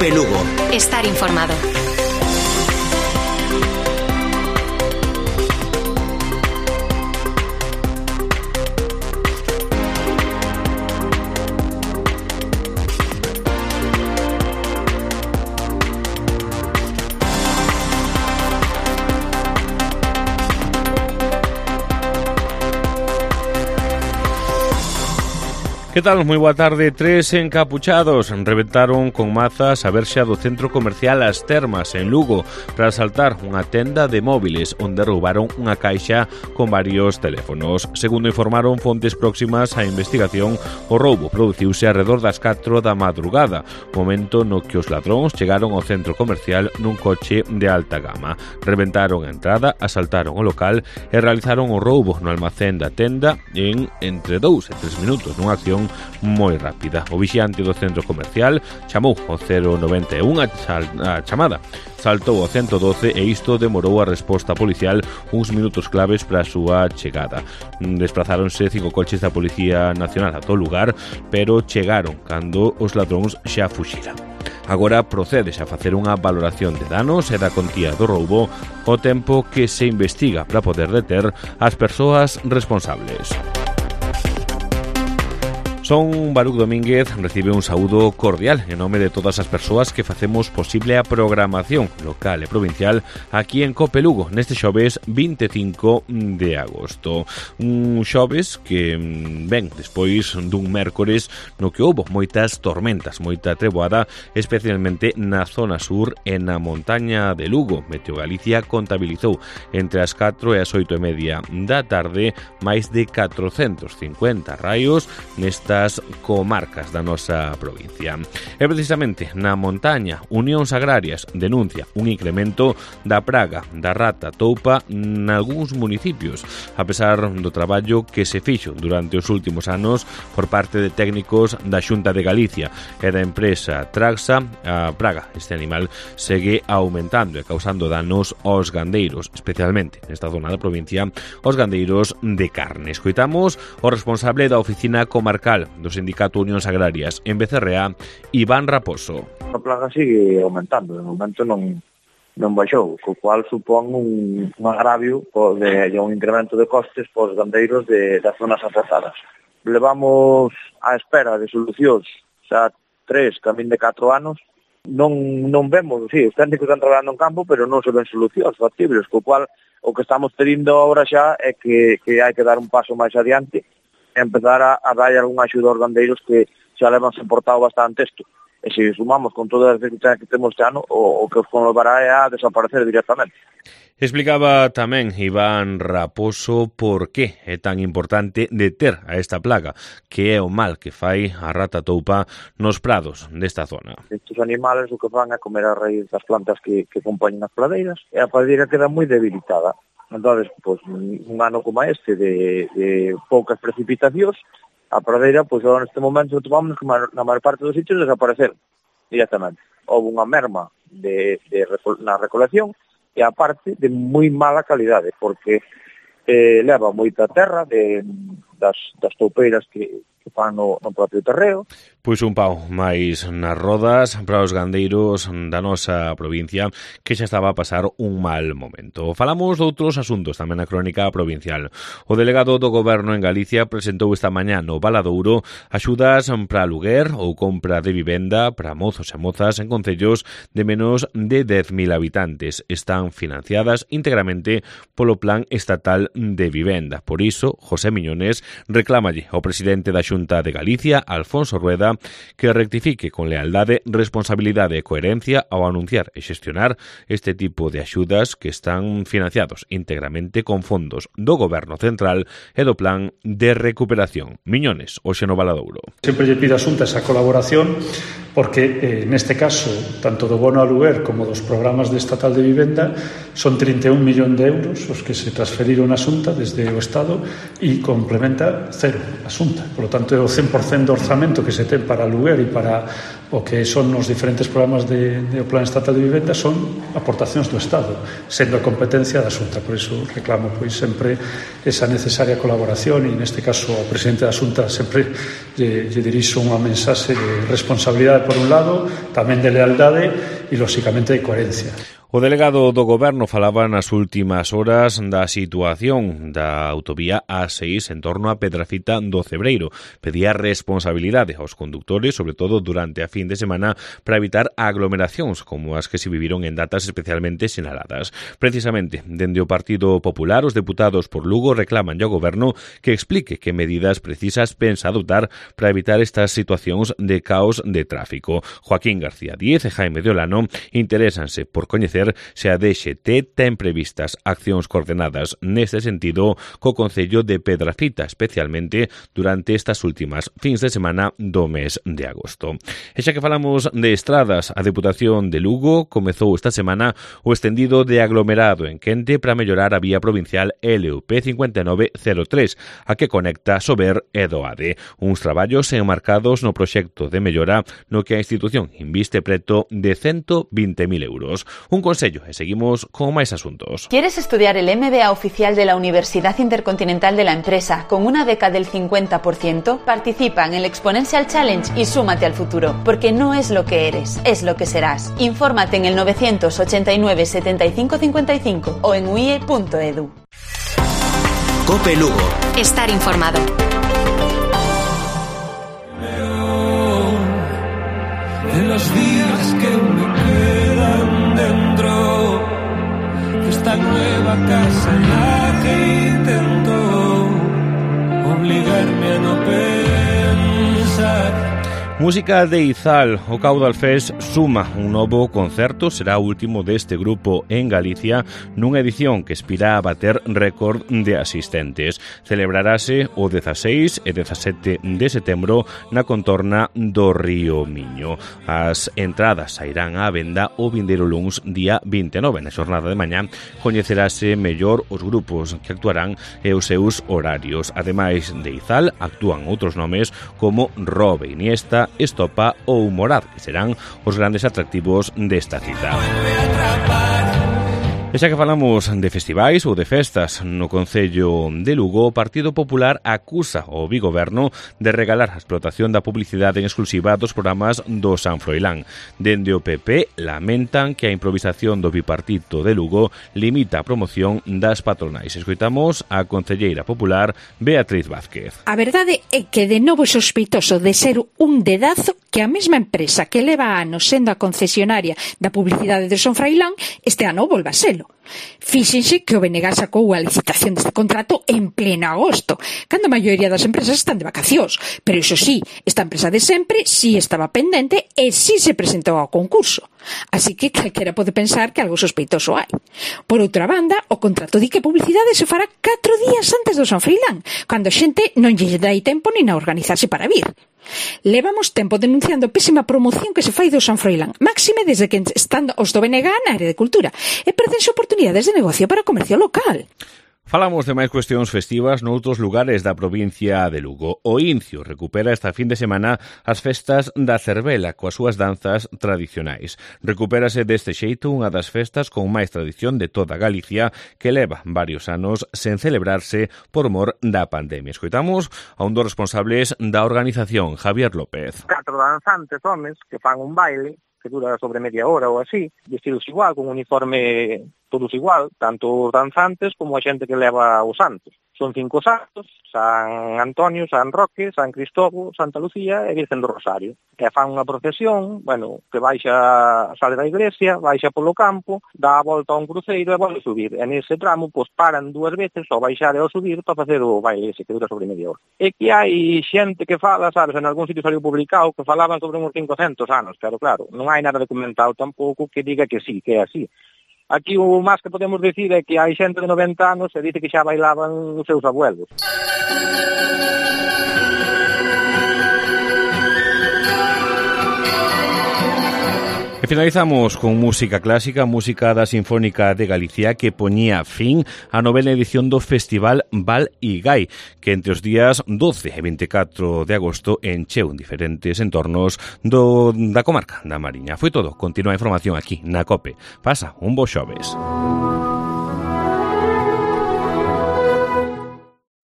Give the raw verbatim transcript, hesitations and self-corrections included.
COPE Lugo. Estar informado. Que tal? Moi boa tarde. Tres encapuchados reventaron con mazas a verxa do centro comercial As Termas en Lugo para asaltar unha tenda de móviles onde roubaron unha caixa con varios teléfonos. Segundo informaron fontes próximas á investigación, o roubo produciuse alrededor das catro da madrugada, momento no que os ladróns chegaron ao centro comercial nun coche de alta gama. Reventaron a entrada, asaltaron o local e realizaron o roubo no almacén da tenda en entre dous e tres minutos, nunha acción moi rápida. O vixiante do centro comercial chamou ao cero noventa e un a, a chamada. Saltou ao ciento doce e isto demorou a resposta policial uns minutos claves para a súa chegada. Desplazáronse cinco coches da Policía Nacional a todo lugar, pero chegaron cando os ladróns xa fuxiran. Agora procedes a facer unha valoración de danos e da contía do roubo ao tempo que se investiga para poder deter as persoas responsables. Son Baruch Domínguez recibe un saúdo cordial en nome de todas as persoas que facemos posible a programación local e provincial aquí en COPE Lugo neste xoves vinte e cinco de agosto. Un xoves que ven despois dun mércores no que houbo moitas tormentas, moita treboada, especialmente na zona sur e na montaña de Lugo. Meteo Galicia contabilizou entre as catro e as oito e media da tarde máis de catrocentos cincuenta raios nesta comarcas da nosa provincia. E precisamente na montaña, Unións Agrarias denuncia un incremento da praga da rata toupa nalgúns municipios, a pesar do traballo que se fixo durante os últimos anos por parte de técnicos da Xunta de Galicia e da empresa Traxa. A praga, este animal, segue aumentando e causando danos aos gandeiros, especialmente nesta zona da provincia, aos gandeiros de carne. Escoitamos o responsable da oficina comarcal do Sindicato Unións Agrarias en Becerreá, Iván Raposo. A plaga sigue aumentando, de momento non, non baixou, co cual supón un, un agravio de, de un incremento de costes para os gandeiros de, das zonas afectadas. Levamos á espera de solucións xa tres, camín de catro anos, non, non vemos, sí, os técnicos están traballando en campo, pero non se ven solucións factibles, co cual o que estamos tenindo agora xa é que, que hai que dar un paso máis adiante e empezar a, a dar algunha axuda aos gandeiros que xa levan soportado bastante isto. E se sumamos con todas as dificultades que temos este ano, o, o que os conlevará é a desaparecer directamente. Explicaba tamén Iván Raposo por que é tan importante deter a esta plaga, que é o mal que fai a rata toupa nos prados desta zona. Estes animales o que fan é comer a raíz das plantas que, que acompañan as pradeiras, e a pradeira queda moi debilitada. Entón, pues, un ano como este de, de poucas precipitacións, a pradeira, pois, pues, neste momento tomamos que na maior parte dos sitios desaparecer directamente. Houve unha merma de, de, na recolección e a parte de moi mala calidade, porque eh, leva moita terra de, das, das toupeiras que, que fan no, no propio terreo. Pois un pau máis nas rodas para os gandeiros da nosa provincia que xa estaba a pasar un mal momento. Falamos de outros asuntos tamén na crónica provincial. O delegado do Goberno en Galicia presentou esta mañá no Valadouro axudas para aluguer ou compra de vivenda para mozos e mozas en concellos de menos de dez mil habitantes. Están financiadas íntegramente polo Plan Estatal de Vivenda. Por iso, José Miñones reclámalle ao presidente da Xunta de Galicia, Alfonso Rueda, que rectifique con lealdade, responsabilidade e coherencia ao anunciar e xestionar este tipo de axudas que están financiados íntegramente con fondos do Goberno Central e do Plan de Recuperación. Miñones, hoxe no Valadouro. Sempre lle pido a Xunta esa colaboración porque, eh, neste caso, tanto do bono aluguer como dos programas de estatal de vivenda son trinta e un millón de euros os que se transferiron a Xunta desde o Estado e complementa cero a Xunta. Por lo tanto, é o cen por cento do orzamento que se ten para Luguer e para o que son os diferentes programas de, de o Plan Estatal de Vivenda son aportacións do Estado, sendo a competencia da Xunta. Por iso reclamo pois sempre esa necesaria colaboración e neste caso ao presidente da Xunta sempre lle, lle dirixo unha mensaxe de responsabilidade por un lado, tamén de lealdade e lóxicamente de coherencia. O delegado do Goberno falaba nas últimas horas da situación da autovía A seis en torno a Pedrafita do Cebreiro. Pedía responsabilidade aos condutores, sobre todo durante a fin de semana, para evitar aglomeracións como as que se viviron en datas especialmente sinaladas. Precisamente, dende o Partido Popular, os deputados por Lugo reclaman ao Goberno que explique que medidas precisas pensa adoptar para evitar estas situacións de caos de tráfico. Joaquín García Díez e Jaime de Olano interésanse por coñecer se a D X T ten previstas accións coordenadas neste sentido co Concello de Pedrafita, especialmente durante estas últimas fins de semana do mes de agosto. E xa que falamos de estradas, a Deputación de Lugo comezou esta semana o extendido de aglomerado en Quente para mellorar a vía provincial L U P cinco nove cero tres, a que conecta Sober e Doade. Uns traballos enmarcados no proxecto de mellora no que a institución inviste preto de ciento veinte mil euros. Un Consello e seguimos con máis asuntos. ¿Quieres estudiar el M B A oficial de la Universidad Intercontinental de la Empresa con una beca del cincuenta por ciento? Participa en el Exponential Challenge y súmate al futuro, porque no es lo que eres, es lo que serás. Infórmate en el novecientos ochenta y nueve setenta y cinco cincuenta y cinco o en u i e punto e d u. COPE Lugo. Estar informado. En los días que me quedan dentro de esta nueva casa en la que intento obligarme a no pensar. Música de Izal, o Caudal Fest suma un novo concerto, será o último deste grupo en Galicia, nunha edición que aspira a bater récord de asistentes. Celebrarase o dezaseis e dezasete de setembro na contorna do Río Miño. As entradas sairán á venda o vindeiro luns día vinte e nove. Na xornada de mañá coñecerase mellor os grupos que actuarán e os seus horarios. Ademais de Izal, actúan outros nomes como Robe, Iniesta, Estopa ou Morad, que serán os grandes atractivos desta cita. E xa que falamos de festivais ou de festas no Concello de Lugo, o Partido Popular acusa o Bigoberno de regalar a explotación da publicidade en exclusiva dos programas do San Froilán. Dende o P P lamentan que a improvisación do bipartito de Lugo limita a promoción das patronais. Escoitamos a concelleira popular Beatriz Vázquez. A verdade é que de novo é sospeitoso de ser un dedazo que a mesma empresa que leva anos sendo a concesionaria da publicidade do San Froilán este ano volva a selo. Fíxense que o B N G sacou a licitación deste contrato en pleno agosto, cando a maioría das empresas están de vacacións, pero iso sí, esta empresa de sempre sí estaba pendente e sí se presentou ao concurso. Así que calquera pode pensar que algo sospeitoso hai. Por outra banda, o contrato di que a publicidade se fará catro días antes do San Froilán, cando a xente non lle dai tempo nin a organizarse para vir. Levamos tempo denunciando a pésima promoción que se fai do San Froilán, máxime desde que están os do B N G na área de cultura, e perdense oportunidades de negocio para o comercio local. Falamos de máis cuestións festivas noutros lugares da provincia de Lugo. O Incio recupera esta fin de semana as festas da Cervela coas súas danzas tradicionais. Recupérase deste xeito unha das festas con máis tradición de toda Galicia que leva varios anos sen celebrarse por mor da pandemia. Escoitamos a un dos responsables da organización, Javier López. Catro danzantes, homes, que fan un baile que dura sobre media hora ou así, vestidos igual, con uniforme todos igual, tanto os danzantes como a xente que leva os santos. Son cinco santos, San Antonio, San Roque, San Cristóbal, Santa Lucía e Virgen do Rosario. E fan unha procesión, bueno, que baixa, sale da iglesia, baixa polo campo, dá a volta a un cruceiro e volve a subir. E nese tramo, pois paran dúas veces ao baixar e ao subir para facer o baile ese que dura sobre media hora. E que hai xente que fala, sabes, en algún sitio saliu publicado, que falaban sobre uns quinhentos anos, pero claro, non hai nada documentado tampouco que diga que sí, que é así. Aquí o máis que podemos dicir é que hai xente de noventa anos e dice que xa bailaban os seus abuelos. E finalizamos con música clásica, música da Sinfónica de Galicia, que poñía fin á novena edición do Festival Val Igai, que entre os días doce e veinticuatro de agosto encheu en diferentes entornos do, da comarca da Mariña. Foi todo. Continúa a información aquí na COPE. Pasa un bo xoves.